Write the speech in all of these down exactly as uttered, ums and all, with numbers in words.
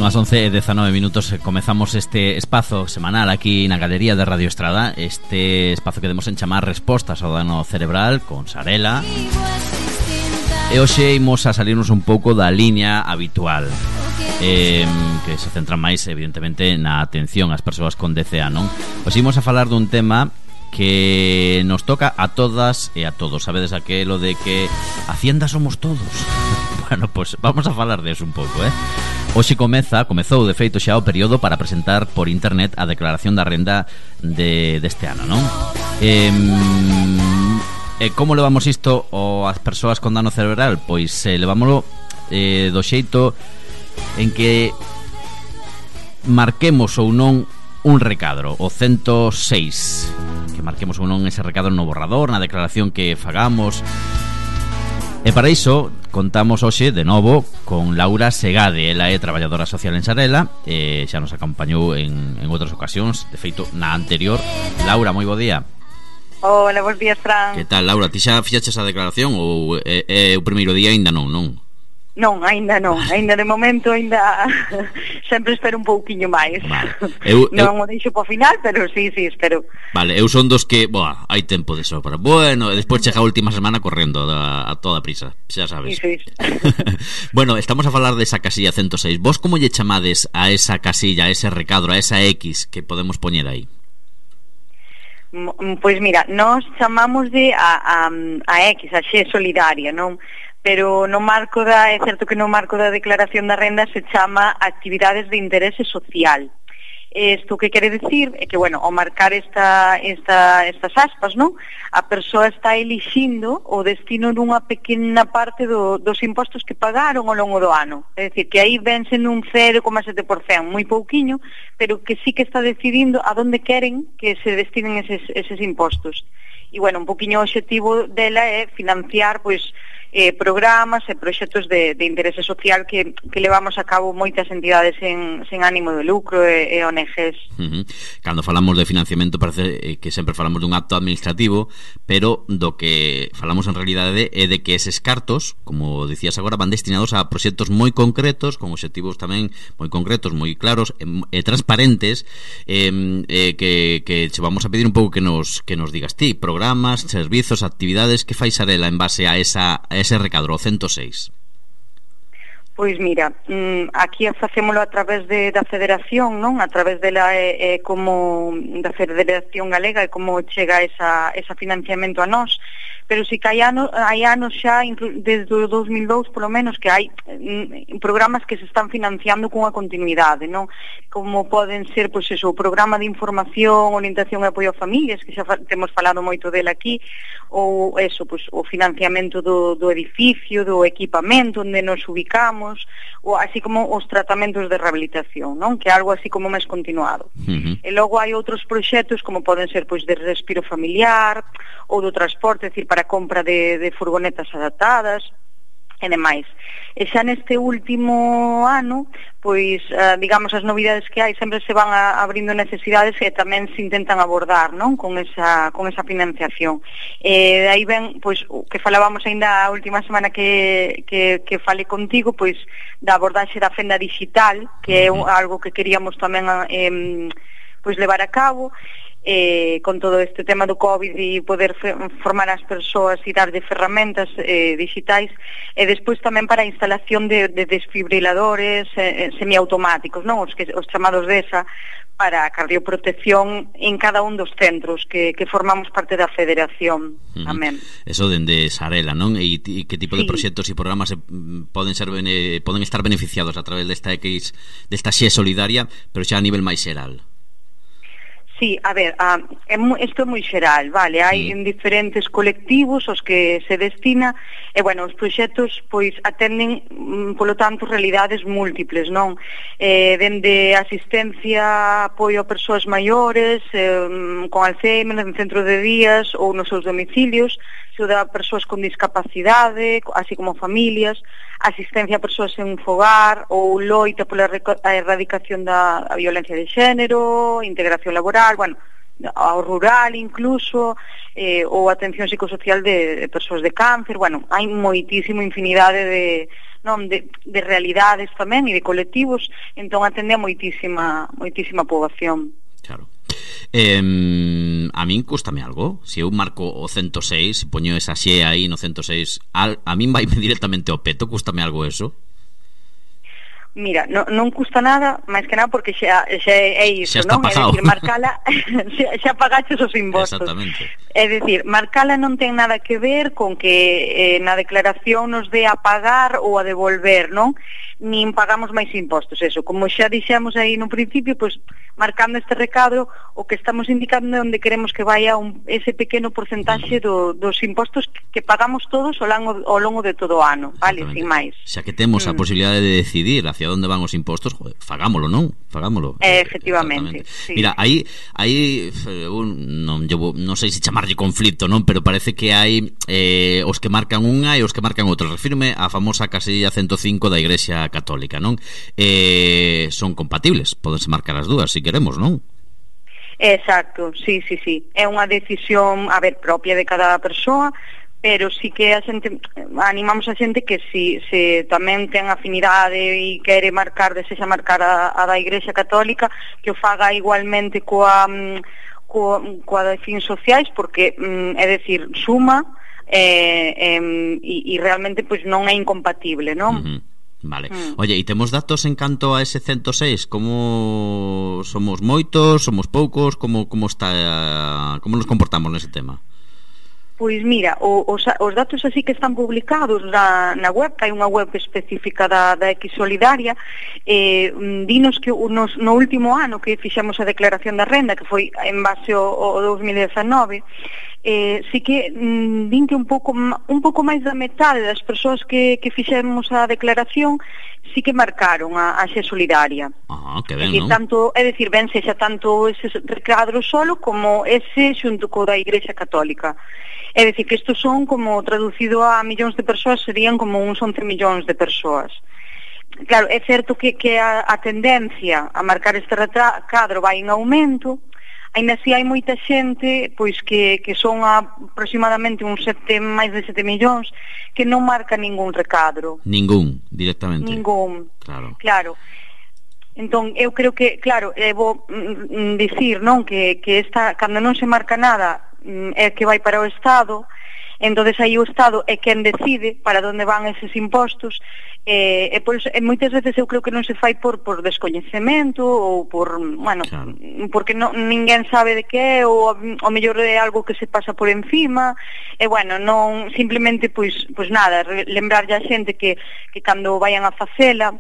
Son as once e dezanove minutos. Comezamos este espazo semanal aquí na Galería de Radio Estrada. Este espazo que demos en chamar Respostas ao dano cerebral con Sarela. E hoxe imos a salirnos un pouco da liña habitual, eh, que se centra máis evidentemente na atención ás persoas con D C A, non? Hoxe imos a falar dun tema que nos toca a todas e a todos. Sabedes aquelo de que Hacienda somos todos. Bueno, pues vamos a falar de eso un pouco, eh? Hoxe comeza, comezou de feito xa o período para presentar por internet a declaración da renda de, deste ano, non? Eh, eh, como levamos isto o as persoas con dano cerebral? Pois eh, levámoslo eh, do xeito en que marquemos ou non un recadro, o cento seis, que marquemos ou non ese recadro no borrador, na declaración que fagamos. E para iso contamos hoxe de novo con Laura Segade. Ela é traballadora social en Sarela, e xa nos acompañou en, en outras ocasións, de feito na anterior. Laura, moi bo día. Hola, bons días, Fran. Que tal, Laura? Ti xa fixaches a declaración ou é, é o primeiro día aínda non, non? Non, aínda non, aínda de momento aínda sempre espero un pouquiño máis. Vale. Eu, non eu... o deixo po final, pero sí, sí, espero. Vale, eu son dos que, boa, hai tempo de sobra. Bueno, e despois chega a última semana correndo a, a toda prisa, xa sabes. Sí, sí. Bueno, estamos a falar desa casilla cento seis. Vos como lle chamades a esa casilla, a ese recadro, a esa X que podemos poñer aí? Pois mira, nós chamamos de a, a, a X, a Xe solidaria, non? Pero no marco da, é certo que no marco da declaración da renda se chama actividades de interese social. Isto que quere decir é que, bueno, ao marcar esta, esta, estas aspas, non? A persoa está elixindo o destino dunha pequena parte do, dos impostos que pagaron ao longo do ano. É dicir, que aí vense nun cero coma sete por cento, moi pouquiño, pero que sí que está decidindo a donde queren que se destinen eses, eses impostos. E, bueno, un poquinho o objetivo dela é financiar, pois, Eh, programas e proxectos de, de interese social que, que levamos a cabo moitas entidades en, sen ánimo de lucro e, e O N Gs. Uh-huh. Cando falamos de financiamento parece que sempre falamos dun acto administrativo, pero do que falamos en realidade é de que eses cartos, como dicías agora, van destinados a proxectos moi concretos, con obxectivos tamén moi concretos, moi claros e, e transparentes, eh, eh, que, que che vamos a pedir un pouco que nos, que nos digas ti, programas, servizos, actividades que fai Sarela en base a esa a ese recadro, cento seis. Pois mira, aquí facémolo a través de, da Federación, non? A través de la, eh, como da Federación Galega e como chega esa, esa financiamento a nós. Pero si que hai anos, hai anos xa, desde o dos mil dous polo menos, que hai mm, programas que se están financiando cunha continuidade, non? Como poden ser, pois eso, o programa de información, orientación e apoio a familias, que xa fa, temos falado moito dele aquí, ou eso, pois, o financiamento do, do edificio, do equipamento onde nos ubicamos, ou así como os tratamentos de rehabilitación, non? Que é algo así como máis continuado. Uh-huh. E logo hai outros proxectos como poden ser, pois, de respiro familiar ou do transporte, é dicir, para a compra de, de furgonetas adaptadas e demais. E xa neste último ano, pois, uh, digamos, as novidades que hai sempre se van a, abrindo necesidades que tamén se intentan abordar, non? Con esa, con esa financiación. E de aí ven, pois, o que falábamos ainda a última semana que, que, que fale contigo, pois, da abordaxe da fenda digital, que é algo que queríamos tamén eh, pois, levar a cabo, Eh, con todo este tema do COVID e poder fe, formar as persoas e darlle ferramentas eh, digitais, e despois tamén para a instalación de, de desfibriladores eh, semiautomáticos, non? Os, que, os chamados D E S A, para a cardioprotección en cada un dos centros que, que formamos parte da Federación. Uh-huh. Amén. Eso dende Sarela, non? E, e que tipo de sí. proxectos e programas se, poden ser bene, poden estar beneficiados a través desta X, desta Xe solidaria, pero xa a nivel máis xeral? Sí, a ver, ah, isto é moi xeral, vale, hai en diferentes colectivos os que se destina, e, bueno, os proxectos, pois, atenden, polo tanto, realidades múltiples, non? Eh, dende asistencia, apoio a persoas maiores, eh, con Alzheimer, en centro de días ou nos seus domicilios, axuda a persoas con discapacidade, así como familias, asistencia a persoas en fogar ou loita pola erradicación da violencia de xénero, integración laboral, bueno, ao rural incluso, eh, ou atención psicosocial de, de persoas de cáncer. Bueno, hai moitísimo infinidade de, non, de, de realidades tamén e de colectivos, entón atende a moitísima, moitísima poboación. Claro. Eh, a min cústame algo. Se eu marco o cento seis, poño esa xe aí no cento seis, a, a min vai directamente ao peto, cústame algo eso? Mira, no, non custa nada, máis que nada porque xa, xa é iso, non? É dicir, marcala, xa, xa pagaches os impostos. Exactamente. É dicir, marcala non ten nada que ver con que eh, na declaración nos dé a pagar ou a devolver, non? Nin pagamos máis impostos, eso. Como xa dixemos aí no principio, pois marcando este recadro, o que estamos indicando é onde queremos que vaya un, ese pequeno porcentaxe do, dos impostos que pagamos todos ao longo, ao longo de todo o ano, vale, sin máis. Xa que temos mm. a posibilidade de decidir hacia onde van os impostos, joder, fagámolo, non? Fagámolo. Eh, efectivamente. Sí. Mira, aí aí un, non llevo, non sei se chamarlle conflito, non, pero parece que hai eh, os que marcan unha e os que marcan outra. Refírme á famosa casilla ciento cinco da Igrexa Católica, non? Eh, son compatibles, podense marcar as dúas se si queremos, non? Exacto, sí, sí, sí. É unha decisión, a ver, propia de cada persoa, pero sí que a xente, animamos a xente que si, se tamén ten afinidade e quere marcar, desexa marcar a, a da Igrexa Católica, que o faga igualmente coa, coa, coa de fins sociais, porque, é dicir, suma eh, eh, e, e realmente pois non é incompatible, non? Uh-huh. Vale. Mm. Oye, e temos datos en canto a ese cento seis? Como somos moitos, somos poucos, como como está, como nos comportamos nese tema? Pois mira, os, os datos así que están publicados na, na web, que hai unha web específica da, da X Solidaria, eh, dinos que unos, no último ano que fixemos a declaración da renda, que foi en base ao, ao dos mil dezanove, eh, sí que mm, din que un pouco un pouco máis da metade das persoas que, que fixemos a declaración sí que marcaron a, a X Solidaria. Ah, que ben, e non? Tanto, é dicir, ben sexa tanto ese recadro solo como ese xunto co da Igrexa Católica. É dicir, que estos son, como traducido a millóns de persoas, serían como uns once millóns de persoas. Claro, é certo que, que a, a tendencia a marcar este recadro vai en aumento, ainda así hai moita xente, pois que, que son aproximadamente uns sete, máis de sete millóns, que non marca ningún recadro. Ningún, directamente. Ningún, claro. Claro. Entón, eu creo que, claro, eh, vou mm, dicir, non, que, que esta, cando non se marca nada, é que vai para o Estado, entonces aí o Estado é quen decide para onde van eses impostos, e, e, por, e moitas veces eu creo que non se fai por, por descoñecemento ou por, bueno, claro, porque non, ninguén sabe de que é, ou o mellor é algo que se pasa por encima, e bueno, non, simplemente, pois, pois nada, lembrarlle a xente que, que cando vayan a facela,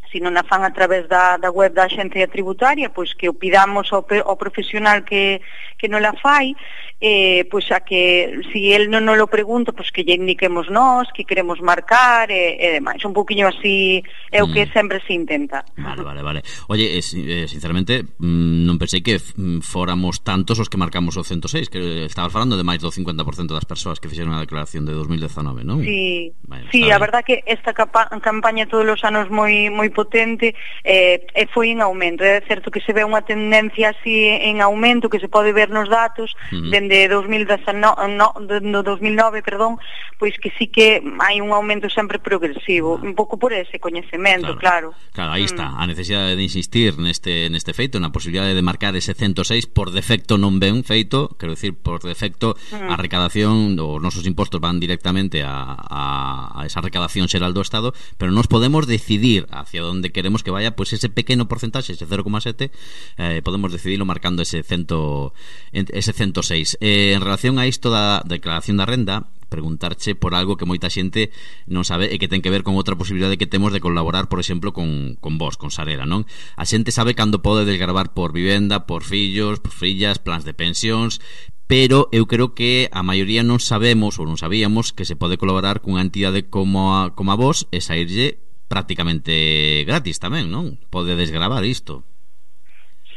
se non a fan a través da, da web da Axencia Tributaria, pois que o pidamos ao, ao profesional que, que non la fai, eh, pois a que, si el non nos lo pregunta, pois que lle indiquemos nós, que queremos marcar, e, e demais. Un poquinho así é o que mm. sempre se intenta. Vale, vale, vale. Oye, eh, sinceramente, non pensei que fóramos tantos os que marcamos o cento seis, que estabas falando de máis do cincuenta por cento das persoas que fixeron a declaración de dos mil dezanove, non? Sí, vale, sí, a verdad que esta capa, campaña todos os anos moi moi potente, eh, e foi en aumento. É certo que se ve unha tendencia así en aumento que se pode ver nos datos, uh-huh, dende dos mil dezenove, no, do dos mil nove, perdón, pois que sí que hai un aumento sempre progresivo, uh-huh, un pouco por ese coñecemento, claro. Claro, claro aí mm. está, a necesidade de insistir neste neste feito, na posibilidade de marcar ese cento seis, por defecto non ven feito, quero dicir, por defecto uh-huh, a recadación, os nosos impostos van directamente a, a, a esa recadación xeral do Estado, pero nos podemos decidir hacia onde queremos que vaya, pues ese pequeno porcentaxe, ese cero coma sete, eh, podemos decidirlo marcando ese cento, ese cento seis. Eh, en relación a isto da declaración da renda, preguntarche por algo que moita xente non sabe e que ten que ver con outra posibilidade que temos de colaborar, por exemplo, con, con vos, con Sarela, non? A xente sabe cando pode desgravar por vivenda, por fillos, por fillas, plans de pensións, pero eu creo que a maioría non sabemos ou non sabíamos que se pode colaborar cunha entidade como a, como a vos e saírlle prácticamente gratis tamén, non? Pode desgravar isto.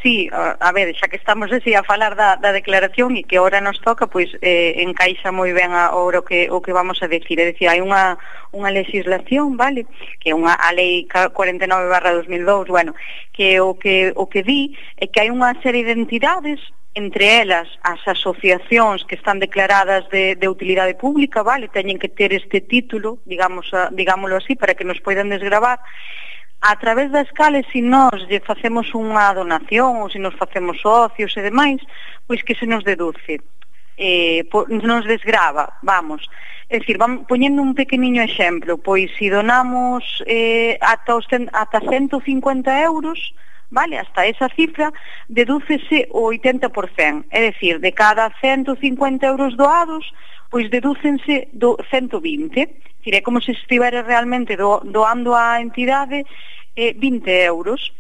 Sí, a, a ver, xa que estamos así a falar da, da declaración e que ahora nos toca, pois eh, encaixa moi ben a, o, que, o que vamos a decir. É dicir, hai unha, unha legislación, vale, que é unha a lei cuarenta e nove barra dos mil dous, bueno, que o que o que di é que hai unha serie de entidades entre elas as asociacións que están declaradas de, de utilidade pública, vale, teñen que ter este título, digamos, a, digámoslo así, para que nos poidan desgravar, a través das cales, se nós lle facemos unha donación ou se nos facemos socios e demais, pois que se nos deduce, eh, po, nos desgrava, vamos. É dicir, vamos, poñendo un pequeniño exemplo, pois se donamos eh, ata, os, ata ciento cincuenta euros, vale, hasta esa cifra, dedúcese o oitenta por cento. É dicir, de cada ciento cincuenta euros doados, pois dedúcense do ciento vinte. É dicir, é como se estivera realmente do, doando á entidade eh, vinte euros,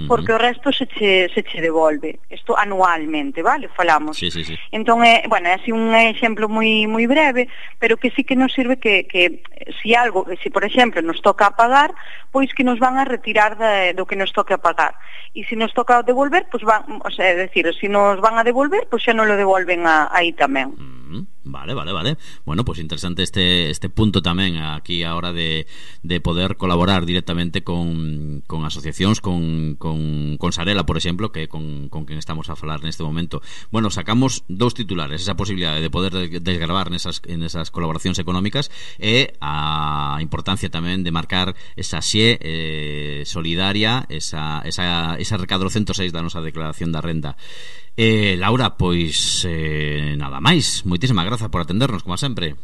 porque o resto se che, se che devolve. Isto anualmente, vale? Falamos. Sí, sí, sí. Entón, é, bueno, é así un exemplo moi moi breve, pero que sí que nos sirve que, que si algo, si por exemplo nos toca pagar, pois que nos van a retirar de, do que nos toque a pagar. E se nos toca devolver, pois van, o sea, é dicir, se nos van a devolver, pois xa non lo devolven a, aí tamén. Mm, vale, vale, vale. Bueno, pois pues interesante este este punto tamén aquí a hora de, de poder colaborar directamente con, con asociacións, con, con, con Sarela, por exemplo, que con, con quen estamos a falar neste momento. Bueno, sacamos dous titulares, esa posibilidade de poder desgravar nesas, nesas colaboracións económicas e a importancia tamén de marcar esa xe eh, solidaria, esa, esa, esa recadro ciento seis da nosa declaración da renda. Eh, Laura, pois eh, nada máis. Moitísimas grazas por atendernos, como sempre.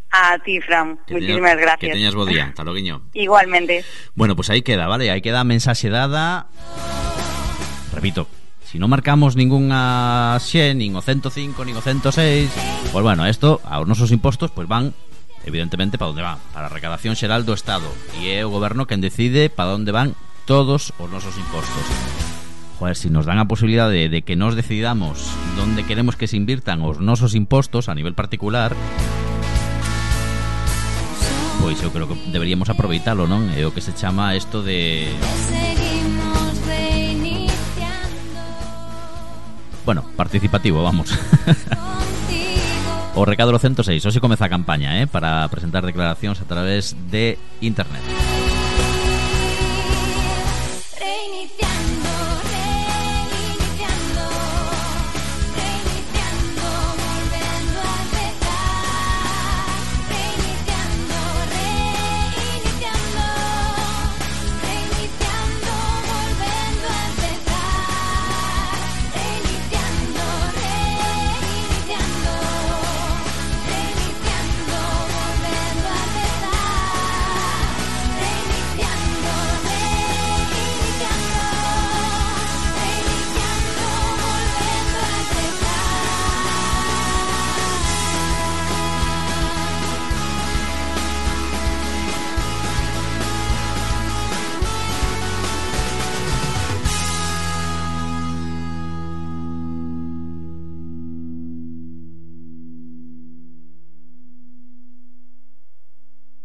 A ti, Fran, que moitísimas teñas, gracias. Que teñas bo día, hasta loguiño. Igualmente. Bueno, pois pues aí queda, vale, aí queda a mensaxe dada. Repito, si non marcamos ningunha xe, nin o ciento cinco, nin o ciento seis, pois pues bueno, esto aos nosos impostos pois pues van evidentemente para onde van, para a recadación xeral do Estado, e é o goberno quen decide para onde van todos os nosos impostos. Joder, si nos dan a posibilidade de, de que nos decidamos onde queremos que se invirtan os nosos impostos a nivel particular, pois eu creo que deberíamos aproveitalo, non? É o que se chama isto de... Bueno, participativo, vamos. O recado ciento seis, hoxe comeza a campaña, eh, para presentar declaracións a través de internet.